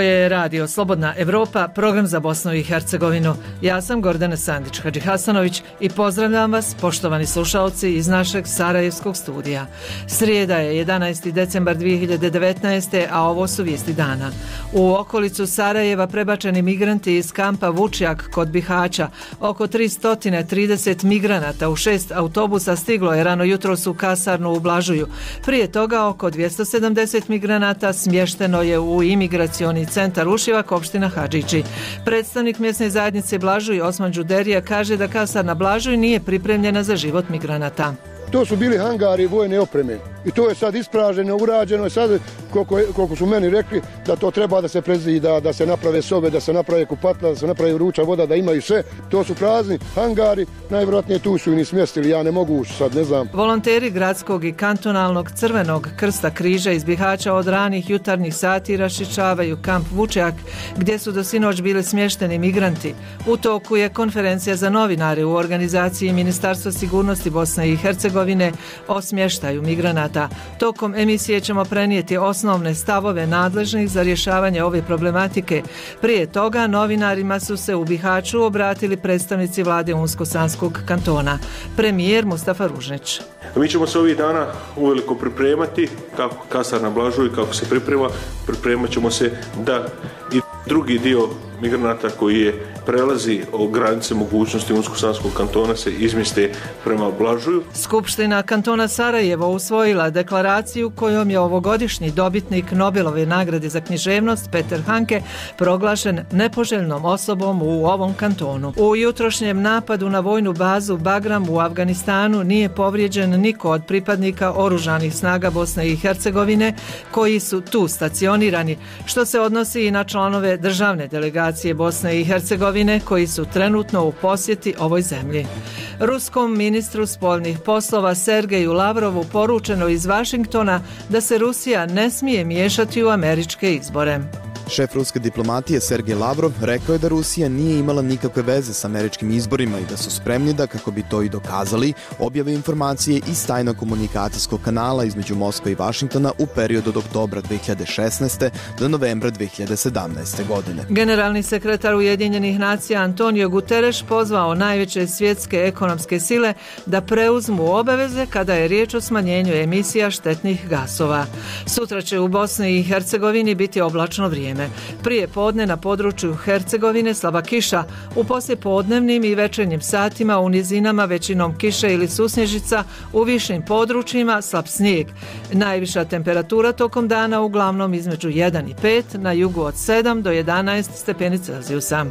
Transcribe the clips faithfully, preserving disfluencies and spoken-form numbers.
Ovo je radio Slobodna Evropa, program za Bosnu i Hercegovinu. Ja sam Gordana Sandić-Hadžihasanović i pozdravljam vas, poštovani slušaoci, iz našeg sarajevskog studija. Srijeda je jedanaesti decembar dvije hiljade devetnaeste. a ovo su vijesti dana. U okolicu Sarajeva prebačeni migranti iz kampa Vučjak kod Bihaća. Oko tristo trideset migranata u šest autobusa stiglo je rano jutros u kasarnu u Blažuju. Prije toga oko dvjesto sedamdeset migranata smješteno je u imigracioni centar Ušivak, opština Hadžići. Predstavnik mjesne zajednice Blažuj Osman Đuderija kaže da kasarna Blažuj nije pripremljena za život migranata. To su bili hangari vojne opreme i to je sad ispraženo, urađeno i sad, koliko, koliko su meni rekli, da to treba da se prezida, da se naprave sobe, da se naprave kupatla, da se napravi vruća voda, da imaju sve. To su prazni hangari, najvjerojatnije tu su i ni smjestili, ja ne mogu ući sad, ne znam. Volonteri gradskog i kantonalnog Crvenog krsta križa iz Bihaća od ranih jutarnjih sati rašičavaju kamp Vučjak, gdje su do sinoć bili smješteni migranti. U toku je konferencija za novinare u organizaciji Ministarstva sigurnosti Bosne i Hercegovine o smještaju migranata. Tokom emisije ćemo prenijeti osnovne stavove nadležnih za rješavanje ove problematike. Prije toga novinarima su se u Bihaću obratili predstavnici vlade Unsko-Sanskog kantona. Premijer Mustafa Ružnić. Mi ćemo se ovih dana uveliko pripremati, kako kasarna Blažuj, kako se priprema, pripremat ćemo se da i drugi dio migranata koji je prelazi o granice mogućnosti Unsko-Sanskog kantona se izmjeste prema Blažuju. Skupština kantona Sarajevo usvojila deklaraciju kojom je ovogodišnji dobitnik Nobelove nagrade za književnost Peter Hanke proglašen nepoželjnom osobom u ovom kantonu. U jutrošnjem napadu na vojnu bazu Bagram u Afganistanu nije povrijeđen niko od pripadnika oružanih snaga Bosne i Hercegovine koji su tu stacionirani, što se odnosi i na članove državne delegacije Bosne i Hercegovine koji su trenutno u posjeti ovoj zemlji. Ruskom ministru spoljnih poslova Sergeju Lavrovu poručeno iz Vašingtona da se Rusija ne smije miješati u američke izbore. Šef ruske diplomatije Sergej Lavrov rekao je da Rusija nije imala nikakve veze s američkim izborima i da su spremni da, kako bi to i dokazali, objave informacije iz tajnog komunikacijskog kanala između Moskve i Vašingtona u periodu od oktobra dvije hiljade šesnaeste. do novembra dvije hiljade sedamnaeste. godine. Generalni sekretar Ujedinjenih nacija Antonio Guterres pozvao najveće svjetske ekonomske sile da preuzmu obaveze kada je riječ o smanjenju emisija štetnih gasova. Sutra će u Bosni i Hercegovini biti oblačno vrijeme. Prije podne na području Hercegovine slaba kiša, u poslijepodnevnim i večernjim satima u nizinama većinom kiše ili susnježica, u višim područjima slab snijeg. Najviša temperatura tokom dana uglavnom između jedan i pet, na jugu od sedam do jedanaest stepeni Celzijusa.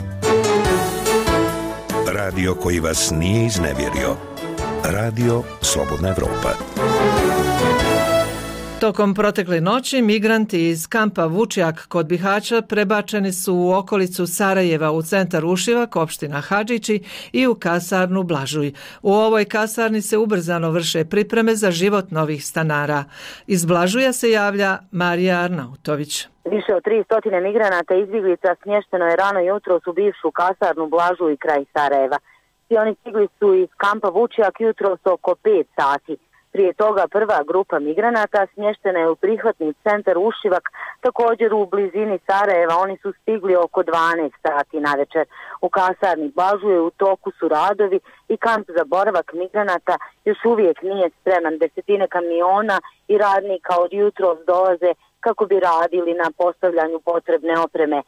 Radio koji vas nije iznevjerio. Radio Slobodna Evropa. Tokom protekle noći migranti iz kampa Vučjak kod Bihaća prebačeni su u okolicu Sarajeva u centar Ušivak, opština Hadžići, i u kasarnu Blažuj. U ovoj kasarni se ubrzano vrše pripreme za život novih stanara. Iz Blažuja se javlja Marija Arnautović. Više od tristo migranata izbjeglica smješteno je rano jutros u bivšu kasarnu Blažuj kraj Sarajeva. Svi oni stigli su iz kampa Vučjak jutros oko pet sati. Prije toga prva grupa migranata smještena je u prihvatni centar Ušivak, također u blizini Sarajeva. Oni su stigli oko dvanaest sati navečer. U kasarni Blažuje u toku su radovi i kamp za boravak migranata još uvijek nije spreman. Desetine kamiona i radnika od jutros dolaze kako bi radili na postavljanju potrebne opreme.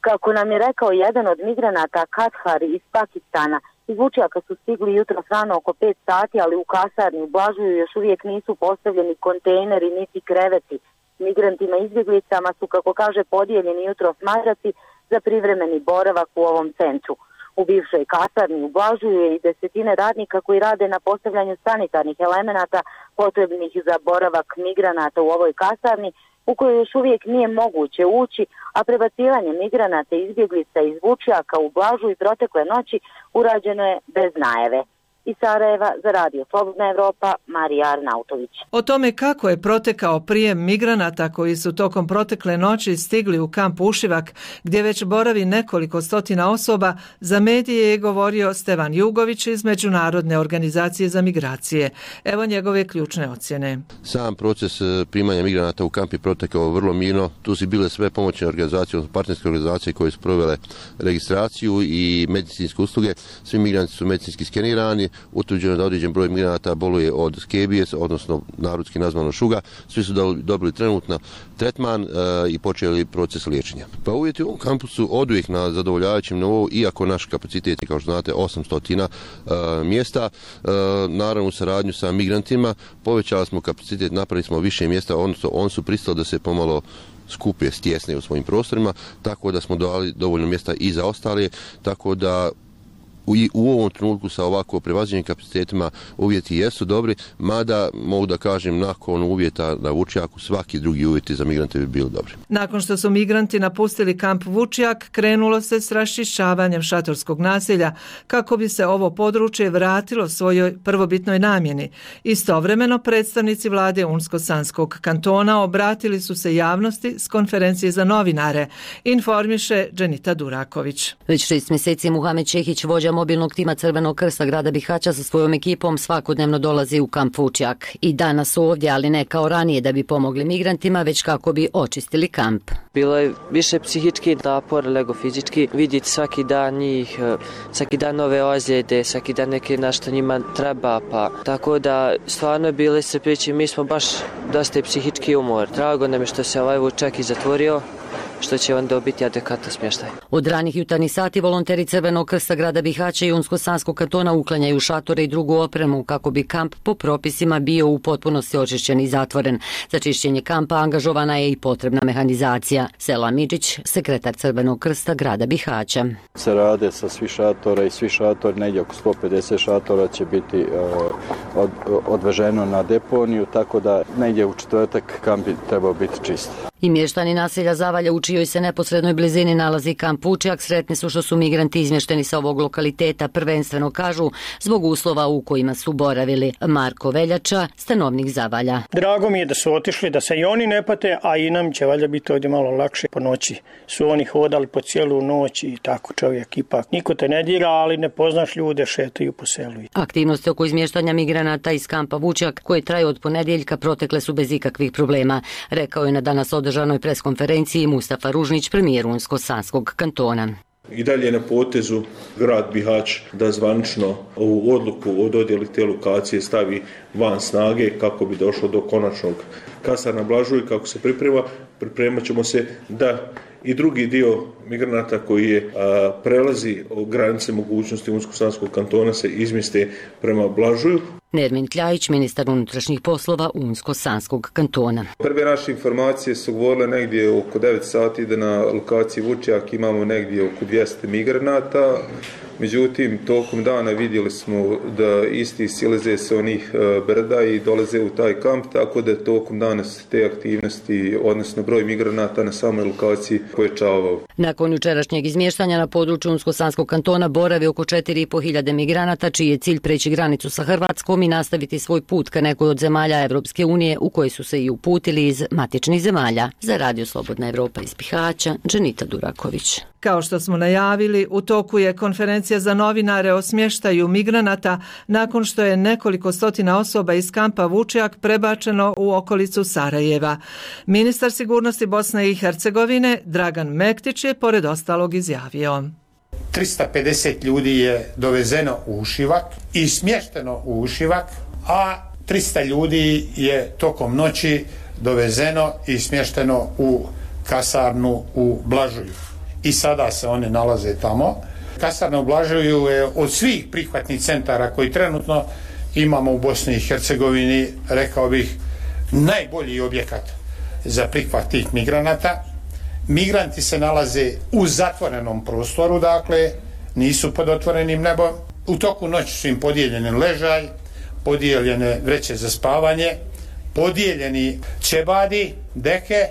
Kako nam je rekao jedan od migranata, Kathar iz Pakistana, iz Vučjaka su stigli jutros rano oko pet sati, ali u kasarni u Blažuju još uvijek nisu postavljeni kontejneri niti kreveti. Migrantima izbjeglicama su, kako kaže, podijeljeni jutros madraci za privremeni boravak u ovom centru. U bivšoj kasarni u Blažuju je i desetine radnika koji rade na postavljanju sanitarnih elemenata potrebnih za boravak migranata u ovoj kasarni, u kojoj još uvijek nije moguće ući, a prebacivanje migranata i izbjeglica iz Vučjaka u Blažuj protekle noći urađeno je bez najave. Iz Sarajeva za Radio Slobodna Evropa, Marija Arnautović. O tome kako je protekao prijem migranata koji su tokom protekle noći stigli u kamp Ušivak, gdje već boravi nekoliko stotina osoba, za medije je govorio Stevan Jugović iz Međunarodne organizacije za migracije. Evo njegove ključne ocjene. Sam proces primanja migranata u kamp je protekao vrlo mirno. Tu su bile sve pomoćne organizacije, partnerske organizacije koje su provele registraciju i medicinske usluge. Svi migranti su medicinski skenirani. Utvrđeno da određen broj migranata boluje od skebije, odnosno narodski nazvano šuga. Svi su dobili trenutno tretman e, i počeli proces liječenja. Pa uvjeti u ovom kampusu oduvijek na zadovoljavajućem nivou, iako naš kapacitet je, kao što znate, osamsto e, mjesta. E, naravno u saradnju sa migrantima povećali smo kapacitet, napravili smo više mjesta, odnosno oni su pristali da se pomalo skupe, stjesne u svojim prostorima, tako da smo dali dovoljno mjesta i za ostale, tako da U, u ovom trenutku sa ovako prevaziđenim kapacitetima uvjeti jesu dobri, mada mogu da kažem nakon uvjeta na Vučjaku svaki drugi uvjeti za migrante bi bili dobri. Nakon što su migranti napustili kamp Vučjak, krenulo se s raščišćavanjem šatorskog naselja kako bi se ovo područje vratilo svojoj prvobitnoj namjeni. Istovremeno predstavnici vlade Unsko-Sanskog kantona obratili su se javnosti s konferencije za novinare, informiše Dženita Duraković. Već šest mjeseci Muhamed Čehić, vođa mobilnog tima Crvenog krsta grada Bihaća, sa svojom ekipom svakodnevno dolazi u kamp Vučjak. I danas su ovdje, ali ne kao ranije da bi pomogli migrantima, već kako bi očistili kamp. Bilo je više psihički napor nego fizički. Vidjeti svaki dan njih, svaki dan nove ozljede, svaki dan neke nešto njima treba, pa tako da stvarno je bilo iscrpljujuće. Mi smo baš dosta psihički umor. Drago nam je što se ovaj Vučjak i zatvorio, što će on dobiti adekvatan smještaj. Od ranih jutarnjih sati volonteri Crvenog krsta grada Bihaća i Unsko-Sanskog kantona uklanjaju šatore i drugu opremu kako bi kamp po propisima bio u potpunosti očišćen i zatvoren. Za čišćenje kampa angažovana je i potrebna mehanizacija. Sela Midžić, sekretar Crvenog krsta grada Bihaća. Se rade sa svi šatora i svi šatori, negdje oko sto pedeset šatora će biti uh, od, odveženo na deponiju, tako da negdje u četvrtak kamp bi trebao biti čist. I mještani naselja Zavalja, u čijoj se neposrednoj blizini nalazi kamp Vučjak, sretni su što su migranti izmješteni sa ovog lokaliteta, prvenstveno kažu zbog uslova u kojima su boravili. Marko Veljača, stanovnik Zavalja. Drago mi je da su otišli, da se i oni ne pate, a i nam će valjda biti ovdje malo lakše. Po noći su oni hodali po cijelu noć i tako čovjek ipak. Niko te ne dira, ali ne poznaš ljude, šetaju po selu. Aktivnosti oko izmještanja migranata iz kampa Vučjak, koje traju od ponedjeljka, protekle su bez ikakvih problema, rekao je na danas održanoj preskonferenciji Mustafa Ružnić, premijer Unsko-Sanskog kantona. I dalje na potezu grad Bihać da zvanično ovu odluku o dodjeli te lokacije stavi van snage kako bi došlo do konačnog kasarna Blažuj. Kako se priprema, pripremat ćemo se da i drugi dio migranata koji je a, prelazi granice mogućnosti Unsko-Sanskog kantona se izmjeste prema Blažuju. Nermin Kljajić, ministar unutrašnjih poslova Unsko-Sanskog kantona. Prve naše informacije su govorile negdje oko devet sati da na lokaciji Vučjak imamo negdje oko dvjesto migranata. Međutim, tokom dana vidjeli smo da isti silaze sa onih brda i dolaze u taj kamp, tako da tokom dana se te aktivnosti, odnosno broj migranata na samoj lokaciji povećavao. Nakon jučerašnjeg izmještanja na području Unsko-Sanskog kantona boravi oko četiri i po hiljade migranata, čiji je cilj preći granicu sa Hrvatskom i nastaviti svoj put ka nekoj od zemalja Evropske unije, u koje su se i uputili iz matičnih zemalja. Za Radio Slobodna Evropa iz Bihaća, Dženita Duraković. Kao što smo najavili, u toku je konferencija za novinare o smještaju migranata nakon što je nekoliko stotina osoba iz kampa Vučjak prebačeno u okolicu Sarajeva. Ministar sigurnosti Bosne i Hercegovine Dragan Mektić je pored ostalog izjavio: trista pedeset ljudi je dovezeno u Ušivak i smješteno u Ušivak, a trista ljudi je tokom noći dovezeno i smješteno u kasarnu u Blažuju. I sada se one nalaze tamo. Kasarna u Blažuju je od svih prihvatnih centara koji trenutno imamo u Bosni i Hercegovini, rekao bih, najbolji objekat za prihvat tih migranata. Migranti se nalaze u zatvorenom prostoru, dakle, nisu pod otvorenim nebom. U toku noći su im podijeljeni ležaj, podijeljene vreće za spavanje, podijeljeni ćebadi, deke,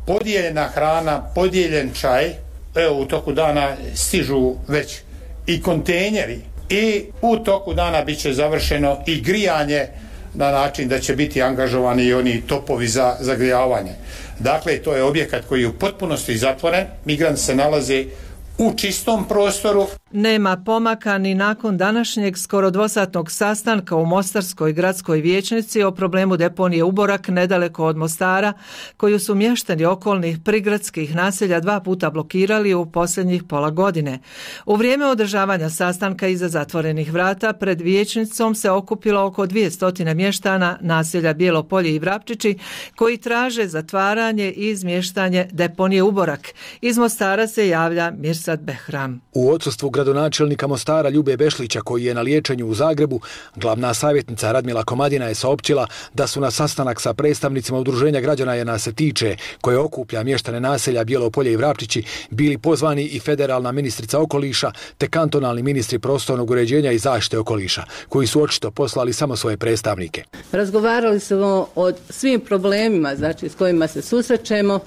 podijeljena hrana, podijeljen čaj. Evo, u toku dana stižu već i kontejneri i u toku dana bit će završeno i grijanje na način da će biti angažovani i oni topovi za zagrijavanje. Dakle, to je objekat koji je u potpunosti zatvoren, migranti se nalaze u čistom prostoru. Nema pomaka ni nakon današnjeg skoro dvosatnog sastanka u Mostarskoj gradskoj vijećnici o problemu deponije Uborak nedaleko od Mostara, koju su mještani okolnih prigradskih naselja dva puta blokirali u posljednjih pola godine. U vrijeme održavanja sastanka iza zatvorenih vrata pred vijećnicom se okupilo oko dvjesto mještana naselja Bijelo-Polje i Vrapčići koji traže zatvaranje i izmještanje deponije Uborak. Iz Mostara se javlja Mirsad Behram. U odsustvu gradonačelnika Mostara Ljube Bešlića, koji je na liječenju u Zagrebu, glavna savjetnica Radmila Komadina je saopćila da su na sastanak sa predstavnicima udruženja građana jer nas se tiče, koje okuplja mještane naselja Bijelo-Polje i Vrapčići, bili pozvani i federalna ministrica okoliša te kantonalni ministri prostornog uređenja i zaštite okoliša, koji su očito poslali samo svoje predstavnike. Razgovarali smo o svim problemima, znači s kojima se susrećemo,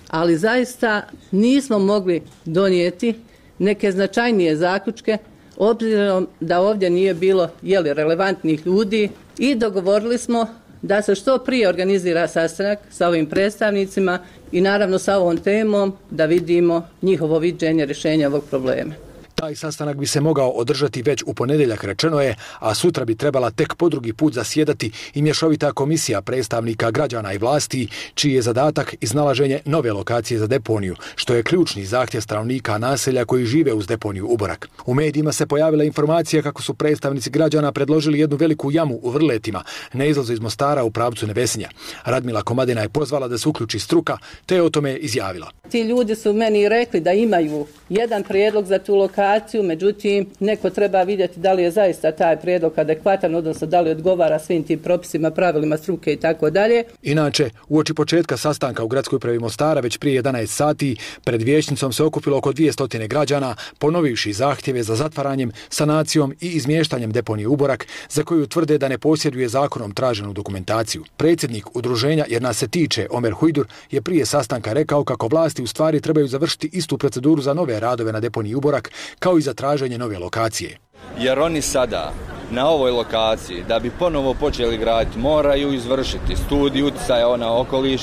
ali zaista nismo mogli donijeti neke značajnije zaključke, obzirom da ovdje nije bilo jeli, relevantnih ljudi, i dogovorili smo da se što prije organizira sastanak sa ovim predstavnicima i naravno sa ovom temom da vidimo njihovo viđenje rješenja ovog problema. Taj sastanak bi se mogao održati već u ponedjeljak, rečeno je, a sutra bi trebala tek po drugi put zasjedati i mješovita komisija predstavnika građana i vlasti, čiji je zadatak iznalaženje nove lokacije za deponiju, što je ključni zahtjev stanovnika naselja koji žive uz deponiju Uborak. U medijima se pojavila informacija kako su predstavnici građana predložili jednu veliku jamu u Vrletima, na izlazu iz Mostara u pravcu Nevesinja. Radmila Komadina je pozvala da se uključi struka, te je o tome izjavila. Ti ljudi su meni rekli da imaju jedan prijedlog za tu lokaciju, međutim, neko treba vidjeti da li je zaista taj prijedlog adekvatan, odnosno da li odgovara svim tim propisima, pravilima struke i tako dalje. Inače, uoči početka sastanka u gradskoj upravi Mostara već prije jedanaest sati pred vijećnicom se okupilo oko dvjesto građana, ponovivši zahtjeve za zatvaranjem, sanacijom i izmještanjem deponije Uborak, za koju tvrde da ne posjeduje zakonom traženu dokumentaciju. Predsjednik udruženja jer nas se tiče, Omer Hujdur, je prije sastanka rekao kako vlasti u stvari trebaju završiti istu proceduru za nove radove na deponiji Uborak, kao i za traženje nove lokacije. Jer oni sada na ovoj lokaciji, da bi ponovo počeli graditi, moraju izvršiti studiju utjecaja na okoliš,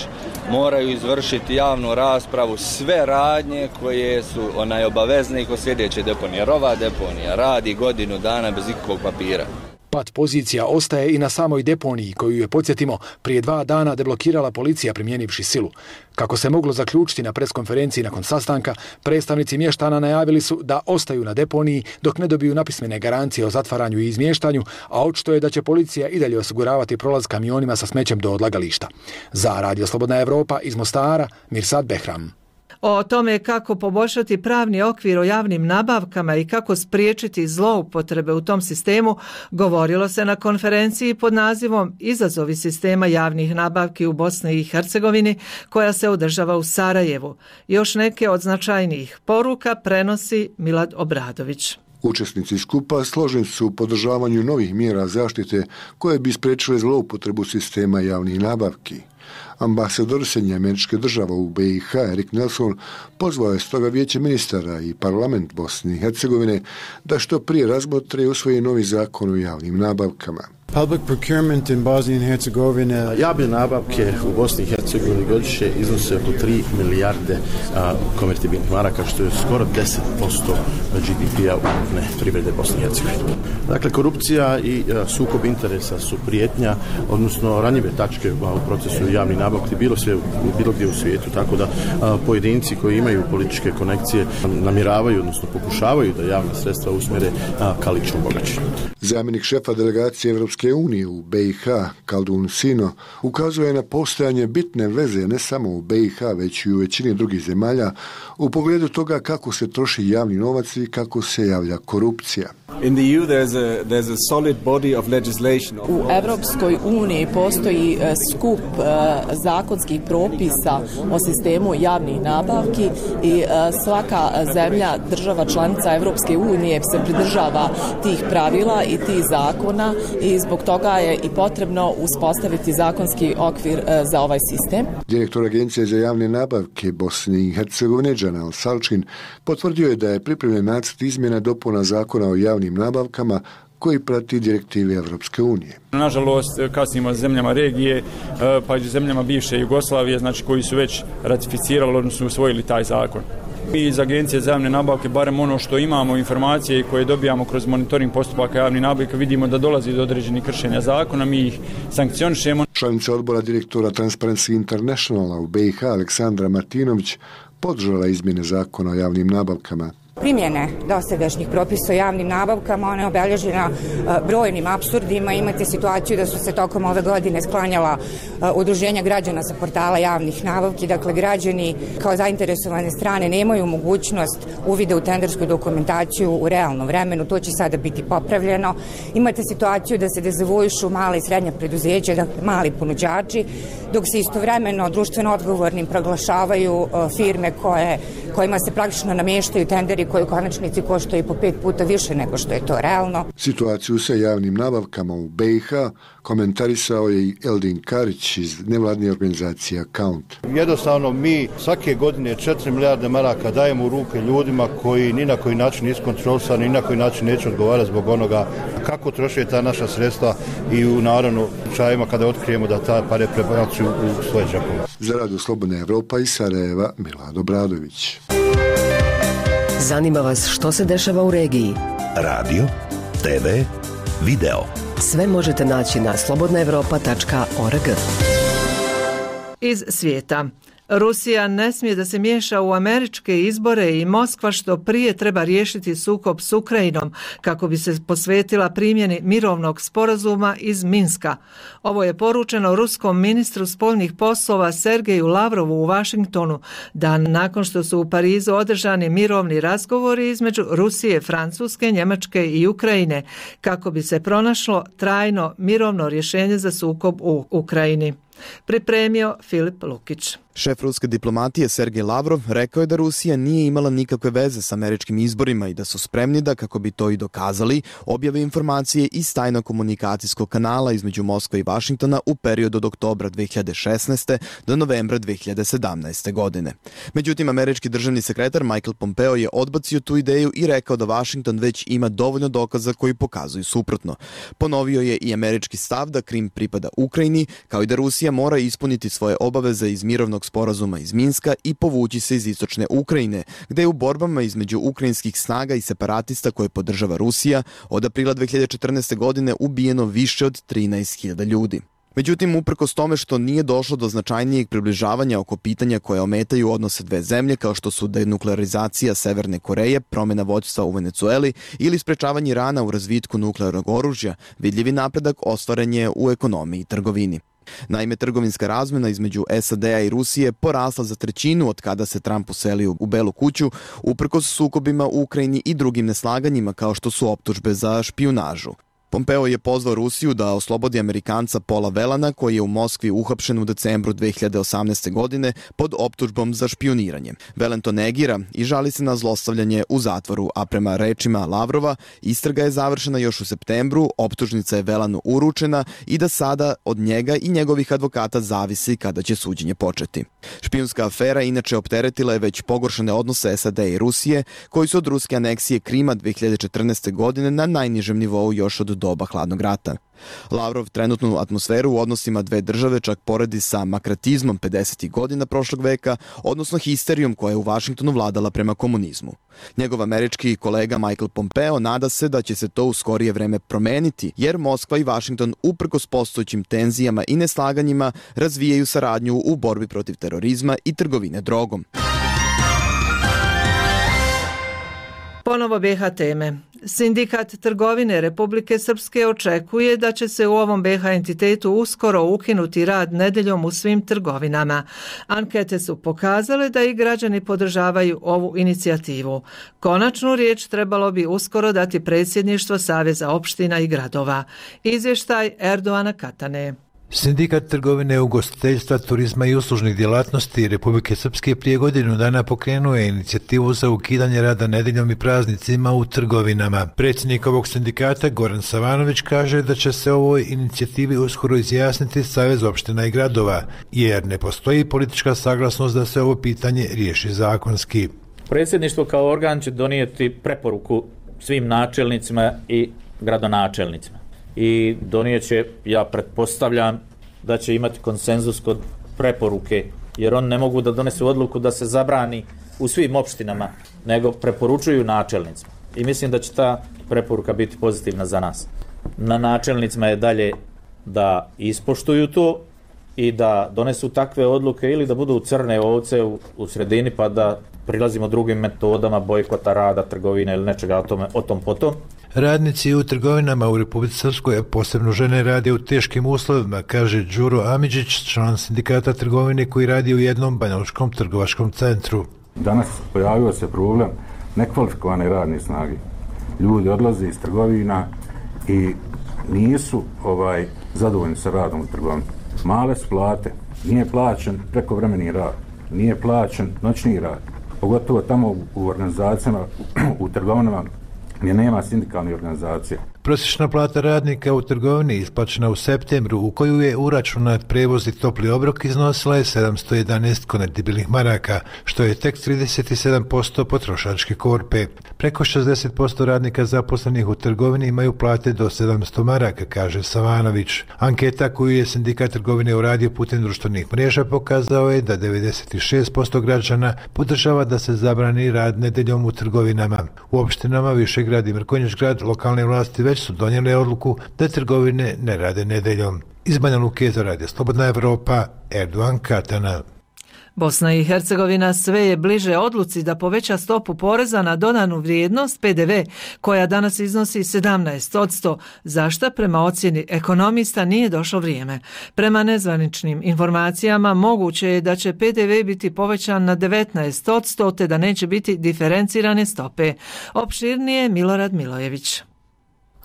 moraju izvršiti javnu raspravu, sve radnje koje su onaj obavezne i kod sljedeće deponije. Jer ova deponija radi godinu dana bez ikakvog papira. Pat pozicija ostaje i na samoj deponiji, koju je, podsjetimo, prije dva dana deblokirala policija primjenivši silu. Kako se moglo zaključiti na preskonferenciji nakon sastanka, predstavnici mještana najavili su da ostaju na deponiji dok ne dobiju napismene garancije o zatvaranju i izmještanju, a očito je da će policija i dalje osiguravati prolaz kamionima sa smećem do odlagališta. Za Radio Slobodna Evropa iz Mostara, Mirsad Behram. O tome kako poboljšati pravni okvir o javnim nabavkama i kako spriječiti zloupotrebe u tom sistemu govorilo se na konferenciji pod nazivom Izazovi sistema javnih nabavki u Bosni i Hercegovini koja se održava u Sarajevu. Još neke od značajnijih poruka prenosi Milad Obradović. Učesnici skupa složeni su u podržavanju novih mjera zaštite koje bi spriječile zloupotrebu sistema javnih nabavki. Ambasador Sjedinjenih Američkih Država u B i H Erik Nelson pozvao je stoga Vijeće ministara i parlament Bosne i Hercegovine da što prije razmotre i usvoji novi zakon o javnim nabavkama. Public procurement in Bosnia and Herzegovina. Javne nabavke u Bosni i Hercegovini godišnje iznose oko tri milijarde a, konvertibilnih maraka, što je skoro deset posto G D P-a ukupne privrede Bosne i Hercegovine. Dakle, korupcija i a, sukob interesa su prijetnja, odnosno ranjive tačke a, u procesu javnih nabavki bilo, sve, bilo gdje u svijetu, tako da a, pojedinci koji imaju političke konekcije namjeravaju, odnosno pokušavaju da javna sredstva usmjere a, ka ličnom bogaćenju. Zamjenik šefa delegacije Evropske unije u B i H, Kaldun Sino, ukazuje na postojanje bitne veze ne samo u B i H, već i u većini drugih zemalja u pogledu toga kako se troši javni novac i kako se javlja korupcija. In the E U there's a there's a solid body of legislation. U Evropskoj uniji postoji skup uh, zakonskih propisa o sistemu javnih nabavki i uh, svaka zemlja, država članica Evropske unije se pridržava tih pravila i tih zakona i zbog toga je i potrebno uspostaviti zakonski okvir uh, za ovaj sistem. Direktor Agencije za javne nabavke Bosne i Hercegovine, Džanal Salčin, potvrdio je da je pripremljen nacrt izmjena dopuna zakona o javnim javnim nabavkama koji prati direktive Evropske unije. Nažalost, kasnimo s zemljama regije, pa i zemljama bivše Jugoslavije, znači koji su već ratificirali, odnosno usvojili taj zakon. Mi iz Agencije za javne nabavke, barem ono što imamo informacije koje dobijamo kroz monitoring postupaka javnih nabavka, vidimo da dolazi do određenih kršenja zakona, mi ih sankcionišemo. Članica odbora direktora Transparency Internationala u B i H Aleksandra Martinović podržala izmjene zakona o javnim nabavkama. Primjene dosadašnjih propisa o javnim nabavkama, ona je obeležena brojnim apsurdima. Imate situaciju da su se tokom ove godine sklanjala udruženja građana sa portala javnih nabavki. Dakle, građani kao zainteresovane strane nemaju mogućnost uvida u tendersku dokumentaciju u realnom vremenu. To će sada biti popravljeno. Imate situaciju da se dezavuišu mala i srednja preduzeća, dakle mali ponuđači, dok se istovremeno društveno odgovornim proglašavaju firme koje, kojima se praktično namještaju tenderi koji u konačnici koštaju po pet puta više nego što je to realno. Situaciju sa javnim nabavkama u B i H komentarisao je i Eldin Karić iz nevladne organizacije Account. Jednostavno mi svake godine četiri milijarde maraka dajemo u ruke ljudima koji ni na koji način nisu kontrolisani, ni na koji način neće odgovarati zbog onoga kako troše ta naša sredstva i u naravno slučajevima kada otkrijemo da ta pare prebacuju u svoje džepove. Za Radio Slobodna Evropa iz Sarajeva, Milad Obradović. Zanima vas što se dešava u regiji? Radio, te ve, video. Sve možete naći na slobodna evropa tačka org. Iz svijeta. Rusija ne smije da se miješa u američke izbore i Moskva što prije treba riješiti sukob s Ukrajinom kako bi se posvetila primjeni mirovnog sporazuma iz Minska. Ovo je poručeno ruskom ministru spoljnih poslova Sergeju Lavrovu u Vašingtonu dan nakon što su u Parizu održani mirovni razgovori između Rusije, Francuske, Njemačke i Ukrajine kako bi se pronašlo trajno mirovno rješenje za sukob u Ukrajini. Pripremio Filip Lukić. Šef ruske diplomatije Sergej Lavrov rekao je da Rusija nije imala nikakve veze s američkim izborima i da su spremni da, kako bi to i dokazali, objave informacije iz tajnog komunikacijskog kanala između Moskve i Vašingtona u periodu od oktobra dve hiljade šesnaeste. do novembra dve hiljade sedamnaeste. godine. Međutim, američki državni sekretar Michael Pompeo je odbacio tu ideju i rekao da Vašington već ima dovoljno dokaza koji pokazuju suprotno. Ponovio je i američki stav da Krim pripada Ukrajini, kao i da Rusija mora ispuniti svoje obaveze iz mirovnog sporazuma iz Minska i povući se iz istočne Ukrajine, gde je u borbama između ukrajinskih snaga i separatista koje podržava Rusija od aprila dve hiljade četrnaeste. godine ubijeno više od trinaest hiljada ljudi. Međutim, uprkos tome što nije došlo do značajnijeg približavanja oko pitanja koje ometaju odnose dve zemlje, kao što su denuklearizacija Severne Koreje, promjena vođstva u Venecueli ili sprečavanje Irana u razvitku nuklearnog oružja, vidljivi napredak ostvaren je u ekonomiji i trgovini. Naime, trgovinska razmjena između S A D-a i Rusije porasla za trećinu od kada se Trump uselio u Belu kuću, uprkos sukobima u Ukrajini i drugim neslaganjima kao što su optužbe za špijunažu. Pompeo je pozvao Rusiju da oslobodi Amerikanca Paula Velana, koji je u Moskvi uhapšen u decembru dve hiljade osamnaeste. godine pod optužbom za špijuniranje. Velen to negira i žali se na zlostavljanje u zatvoru, a prema rečima Lavrova, istraga je završena još u septembru, optužnica je Velanu uručena i da sada od njega i njegovih advokata zavisi kada će suđenje početi. Špijunska afera inače opteretila je već pogoršane odnose S A D i Rusije, koji su od ruske aneksije Krima dve hiljade četrnaeste. godine na najnižem nivou još od doba hladnog rata. Lavrov trenutnu atmosferu u odnosima dve države čak poredi sa makratizmom pedesetih godina prošlog veka, odnosno histerijom koja je u Vašingtonu vladala prema komunizmu. Njegov američki kolega Michael Pompeo nada se da će se to u skorije vreme promeniti, jer Moskva i Vašington uprkos postojećim tenzijama i neslaganjima razvijaju saradnju u borbi protiv terorizma i trgovine drogom. Ponovo B H teme. Sindikat trgovine Republike Srpske očekuje da će se u ovom B H entitetu uskoro ukinuti rad nedeljom u svim trgovinama. Ankete su pokazale da i građani podržavaju ovu inicijativu. Konačnu riječ trebalo bi uskoro dati predsjedništvo Saveza opština i gradova. Izvještaj Erdoana Katane. Sindikat trgovine, ugostiteljstva, turizma i uslužnih djelatnosti Republike Srpske prije godinu dana pokrenuo je inicijativu za ukidanje rada nedeljom i praznicima u trgovinama. Predsjednik ovog sindikata Goran Savanović kaže da će se ovoj inicijativi uskoro izjasniti Savez opština i gradova, jer ne postoji politička saglasnost da se ovo pitanje riješi zakonski. Predsjedništvo kao organ će donijeti preporuku svim načelnicima i gradonačelnicima. I donijeće, ja pretpostavljam, da će imati konsenzus kod preporuke, jer oni ne mogu da donesu odluku da se zabrani u svim opštinama, nego preporučuju načelnicima. I mislim da će ta preporuka biti pozitivna za nas. Na načelnicima je dalje da ispoštuju to i da donesu takve odluke ili da budu crne ovce u, u sredini pa da prilazimo drugim metodama bojkota rada, trgovine ili nečega o, tome, o tom potom. Radnici u trgovinama u Republici Srpskoj, posebno žene, rade u teškim uslovima, kaže Đuro Amidžić, član sindikata trgovine koji radi u jednom banjalučkom trgovačkom centru. Danas pojavio se problem nekvalifikovane radne snage. Ljudi odlaze iz trgovina i nisu ovaj zadovoljni sa radom u trgovini. Male su plate, nije plaćen prekovremeni rad, nije plaćen noćni rad. Pogotovo tamo u organizacijama, u trgovinama gdje nema sindikalnih organizacija. Prosječna plata radnika u trgovini isplaćena u septembru, u koju je uračunat prevoz i topli obrok, iznosila je sedamsto jedanaest konvertibilnih maraka, što je tek trideset sedam posto potrošačke korpe. Preko šezdeset posto radnika zaposlenih u trgovini imaju plate do sedamsto maraka, kaže Savanović. Anketa koju je sindikat trgovine uradio putem društvenih mreža pokazao je da devedeset šest posto građana podržava da se zabrani rad nedeljom u trgovinama. U opštinama Višegrad i Mrkonjić-grad lokalne vlasti već su donijele odluku da trgovine ne rade nedeljom. Iz Banja Luke za Radio Slobodna Evropa, Erdogan Katana. Bosna i Hercegovina sve je bliže odluci da poveća stopu poreza na dodanu vrijednost P D V, koja danas iznosi sedamnaest posto, za šta prema ocjeni ekonomista nije došlo vrijeme. Prema nezvaničnim informacijama moguće je da će P D V biti povećan na devetnaest posto te da neće biti diferencirane stope. Opširnije Milorad Milojević.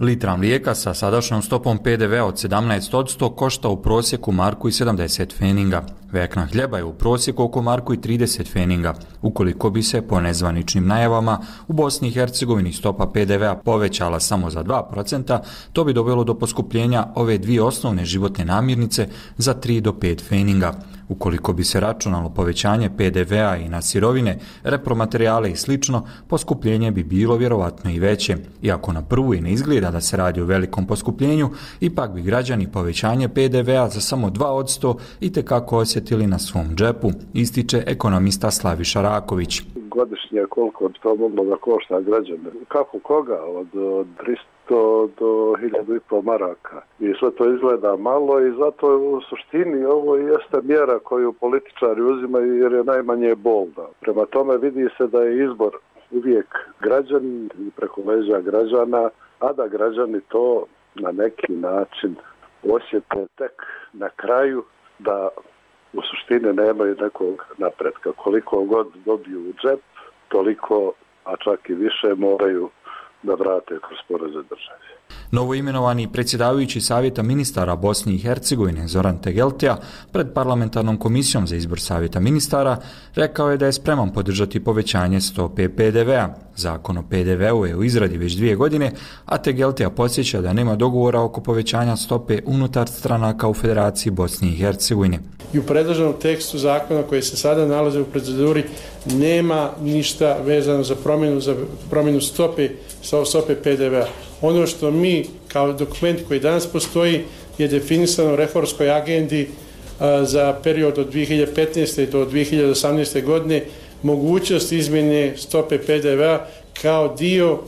Litra mlijeka sa sadašnjom stopom P D V-a od sedamnaest posto košta u prosjeku marku i sedamdeset feninga. Vekna hljeba je u prosjeku oko marku i trideset feninga. Ukoliko bi se, po nezvaničnim najavama, u Bosni i Hercegovini stopa P D V-a povećala samo za dva procenta, to bi dovelo do poskupljenja ove dvije osnovne životne namirnice za tri do pet feninga. Ukoliko bi se računalo povećanje P D V-a i na sirovine, repromaterijale i slično, poskupljenje bi bilo vjerovatno i veće. Iako na prvu i ne izgleda da se radi o velikom poskupljenju, ipak bi građani povećanje P D V-a za samo dva posto itekako osjetili na svom džepu, ističe ekonomista Slaviša Raković. Godišnje koliko bi to moglo da košta građane? Kako koga? Od, od tristo do hiljadu i pol maraka. I sve to izgleda malo i zato u suštini ovo jeste mjera koju političari uzimaju jer je najmanje bolna. Prema tome vidi se da je izbor uvijek građani i preko leđa građana, a da građani to na neki način osjete tek na kraju da u suštini nemaju nekog napretka. Koliko god dobiju u džep, toliko, a čak i više, moraju da vrate kroz poreze države. Novoimenovani predsjedavajući Savjeta ministara Bosne i Hercegovine Zoran Tegeltija pred parlamentarnom komisijom za izbor Savjeta ministara rekao je da je spreman podržati povećanje stope P D V-a. Zakon o P D V-u je u izradi već dvije godine, a Tegeltija podsjeća da nema dogovora oko povećanja stope unutar stranaka u Federaciji Bosne i Hercegovine. I u predloženom tekstu zakona koji se sada nalaze u proceduri nema ništa vezano za promjenu, za promjenu stope, stope P D V-a. Ono što mi kao dokument koji danas postoji je definisano u reformskoj agendi a, za period od dvije hiljade petnaeste do dvije hiljade osamnaeste godine mogućnost izmjene stope P D V-a kao dio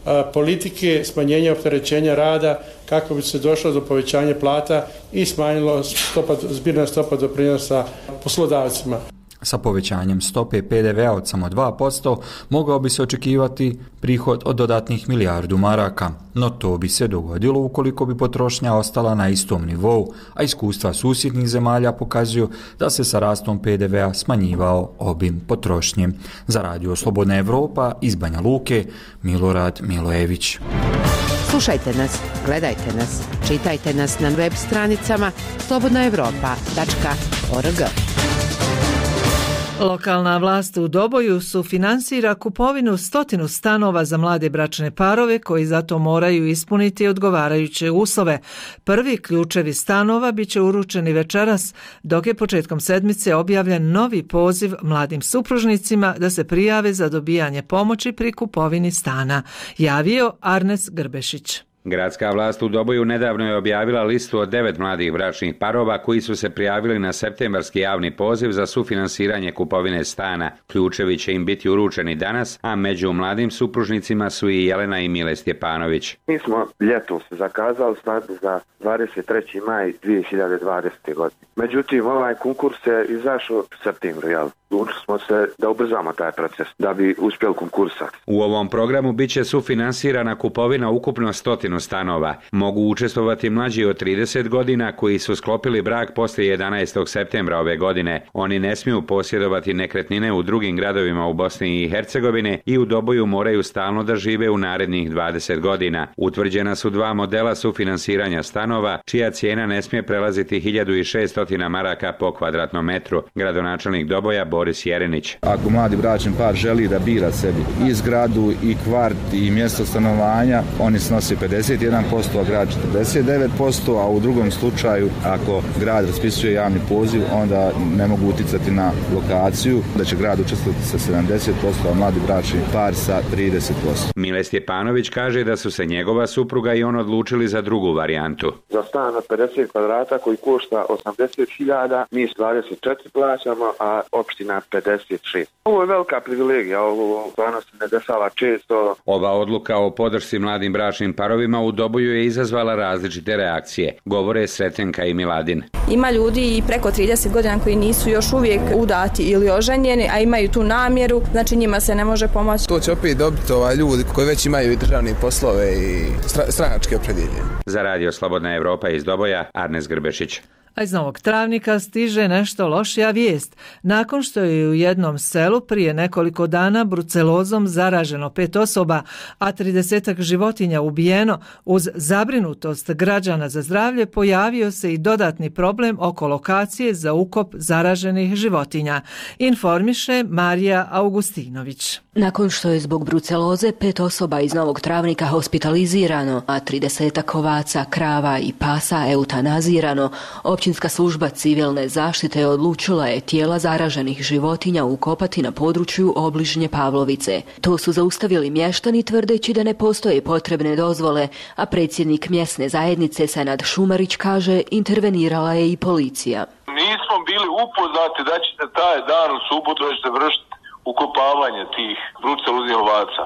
a, politike smanjenja opterećenja rada kako bi se došlo do povećanja plata i smanjilo stopa, zbirna stopa doprinosa poslodavcima. Sa povećanjem stope P D V-a od samo dva posto mogao bi se očekivati prihod od dodatnih milijardu maraka, no to bi se dogodilo ukoliko bi potrošnja ostala na istom nivou, a iskustva susjednih zemalja pokazuju da se sa rastom P D V-a smanjivao obim potrošnje. Za Radio Slobodna Evropa iz Banja Luke, Milorad Milojević. Slušajte nas, gledajte nas, čitajte nas na web stranicama slobodna evropa tačka org. Lokalna vlast u Doboju sufinansira kupovinu stotinu stanova za mlade bračne parove koji zato moraju ispuniti odgovarajuće uslove. Prvi ključevi stanova bit će uručeni večeras, dok je početkom sedmice objavljen novi poziv mladim supružnicima da se prijave za dobijanje pomoći pri kupovini stana, javio Arnes Grbešić. Gradska vlast u Doboju nedavno je objavila listu od devet mladih bračnih parova koji su se prijavili na septembarski javni poziv za sufinansiranje kupovine stana. Ključevi će im biti uručeni danas, a među mladim supružnicima su i Jelena i Mile Stjepanović. Mi smo ljetom se zakazali svadbu za dvadeset treći maj dvije hiljade dvadesete. godine. Međutim, ovaj konkurs je izašao u septembru, jel? Učili smo se da ubrzamo taj proces, da bi uspjeli konkursati. U ovom programu bit će sufinansirana kupovina ukupno stotinu stanova. Mogu učestvovati mlađi od trideset godina koji su sklopili brak poslije jedanaestog septembra ove godine. Oni ne smiju posjedovati nekretnine u drugim gradovima u Bosni i Hercegovini i u Doboju moraju stalno da žive u narednih dvadeset godina. Utvrđena su dva modela sufinansiranja stanova, čija cijena ne smije prelaziti hiljadu šesto maraka po kvadratnom metru. Gradonačelnik Doboja Boris Jerenić. Ako mladi bračni par želi da bira sebi i zgradu i kvart i mjesto stanovanja, oni snose pedeset jedan posto, a grad četrdeset devet posto, a u drugom slučaju ako grad raspisuje javni poziv, onda ne mogu uticati na lokaciju, da će grad učestvovati sa sedamdeset posto, a mladi bračni par sa trideset posto. Mile Stjepanović kaže da su se njegova supruga i on odlučili za drugu varijantu. Za stan od pedeset kvadrata koji košta osamdeset hiljada, mi s dvadeset četiri plaćamo, a opština pedeset šest. Ovo je velika privilegija, ovo stvarno se ne dešava često. Ova odluka o podršci mladim bračnim parovima u Doboju je izazvala različite reakcije, govore Sretenka i Miladin. Ima ljudi i preko trideset godina koji nisu još uvijek udati ili oženjeni, a imaju tu namjeru, znači njima se ne može pomoći. To će opet dobiti ovaj ljudi koji već imaju i državne poslove i stranačke opredjeljenje. Za Radio Slobodna Evropa iz Doboja, Arnes Grbešić. A iz Novog Travnika stiže nešto lošija vijest. Nakon što je u jednom selu prije nekoliko dana brucelozom zaraženo pet osoba, a tridesetak životinja ubijeno, uz zabrinutost građana za zdravlje pojavio se i dodatni problem oko lokacije za ukop zaraženih životinja, informiše Marija Augustinović. Nakon što je zbog bruceloze pet osoba iz Novog Travnika hospitalizirano, a tridesetak ovaca, krava i pasa eutanazirano, Općinska služba civilne zaštite odlučila je tijela zaraženih životinja ukopati na području obližnje Pavlovice. To su zaustavili mještani tvrdeći da ne postoje potrebne dozvole, a predsjednik mjesne zajednice Senad Šumarić kaže intervenirala je i policija. Nismo bili upoznati da ćete taj dan u subotu da ćete vršiti ukopavanje tih bruceloznih ovaca.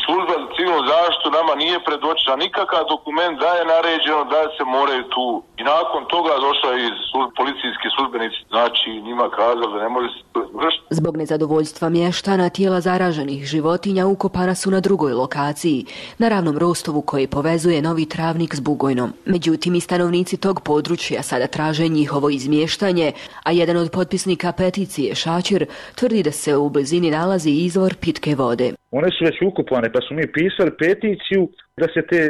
Služba za civilnu zaštitu nama nije predočila nikakav dokument da je naređeno da se moraju tu. I nakon toga došla i služ, policijski službenici, znači njima kazali da ne može se vršiti. Zbog nezadovoljstva mještana tijela zaraženih životinja ukopana su na drugoj lokaciji, na ravnom rostovu koji povezuje Novi Travnik s Bugojnom. Međutim, i stanovnici tog područja sada traže njihovo izmještanje, a jedan od potpisnika peticije, Šačir, tvrdi da se u blizini nalazi izvor pitke vode. One su već ukopane, pa smo mi pisali peticiju da se te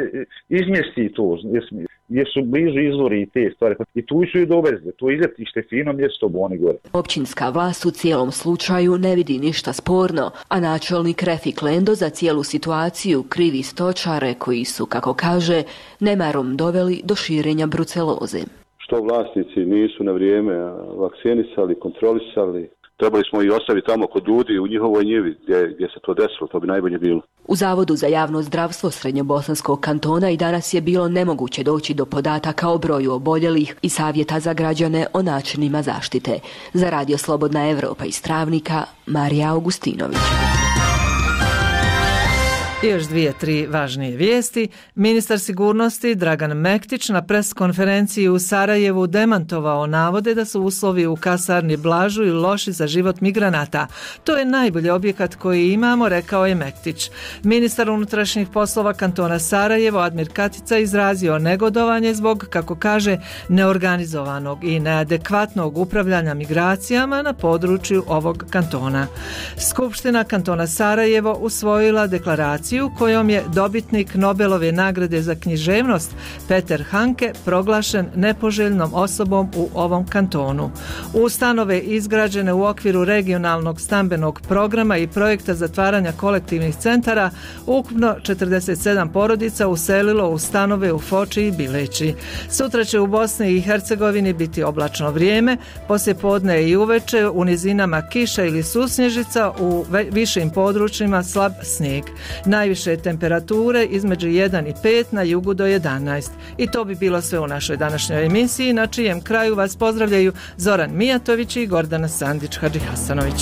izmjesti to, jer su blizu izvori i te stvari. I tu su i dovezli, to izletište fino mjesto Boni gore. Općinska vlast u cijelom slučaju ne vidi ništa sporno, a načelnik Refik Lendo za cijelu situaciju krivi stočare koji su, kako kaže, nemarom doveli do širenja bruceloze. Što vlasnici nisu na vrijeme vakcinisali, kontrolisali, trebali smo i ostaviti tamo kod ljudi u njihovoj njivi gdje, gdje se to desilo, to bi najbolje bilo. U Zavodu za javno zdravstvo Srednjobosanskog kantona i danas je bilo nemoguće doći do podataka o broju oboljelih i savjeta za građane o načinima zaštite. Za Radio Slobodna Evropa iz Travnika, Marija Augustinović. I još dvije, tri važnije vijesti. Ministar sigurnosti Dragan Mektić na preskonferenciji u Sarajevu demantovao navode da su uslovi u kasarni Blažu i loši za život migranata. To je najbolji objekat koji imamo, rekao je Mektić. Ministar unutrašnjih poslova kantona Sarajevo Admir Katica izrazio negodovanje zbog, kako kaže, neorganizovanog i neadekvatnog upravljanja migracijama na području ovog kantona. Skupština kantona Sarajevo usvojila deklaraciju emisiju kojom je dobitnik Nobelove nagrade za književnost Peter Hanke proglašen nepoželjnom osobom u ovom kantonu. U stanove izgrađene u okviru regionalnog stambenog programa i projekta zatvaranja kolektivnih centara ukupno četrdeset sedam porodica uselilo u stanove u Foči i Bileći. Sutra će u Bosni i Hercegovini biti oblačno vrijeme, poslije podne i uveče u nizinama kiša ili susnježica, u višim područjima slab snijeg. Najviše temperature između jedan i pet, na jugu do jedanaest. I to bi bilo sve u našoj današnjoj emisiji, na čijem kraju vas pozdravljaju Zoran Mijatović i Gordana Sandić Hadžihasanović.